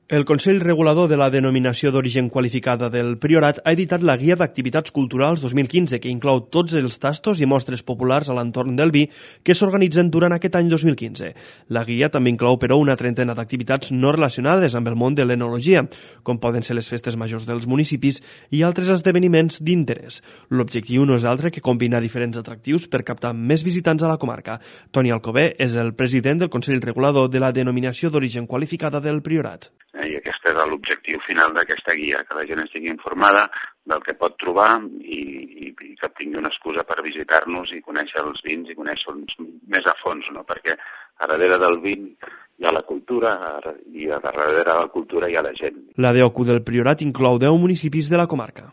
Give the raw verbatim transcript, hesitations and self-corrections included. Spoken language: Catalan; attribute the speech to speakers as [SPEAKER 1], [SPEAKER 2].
[SPEAKER 1] El Consell Regulador de la Denominació d'Origen Qualificada del Priorat ha editat la Guia d'Activitats Culturals dos mil quinze, que inclou tots els tastos i mostres populars a l'entorn del vi que s'organitzen durant aquest any dos mil quinze. La guia també inclou, però, una trentena d'activitats no relacionades amb el món de l'enologia, com poden ser les festes majors dels municipis i altres esdeveniments d'interès. L'objectiu no és altre que combinar diferents atractius per captar més visitants a la comarca. Toni Alcover és el president del Consell Regulador de la Denominació d'Origen Qualificada del Priorat.
[SPEAKER 2] I aquest és l'objectiu final d'aquesta guia, que la gent estigui informada del que pot trobar i, i, i que tingui una excusa per visitar-nos i conèixer els vins i conèixer-los més a fons, no? Perquè a darrere del vin hi ha la cultura i a darrere de la cultura hi ha la gent.
[SPEAKER 1] La D O C U del Priorat inclou deu municipis de la comarca.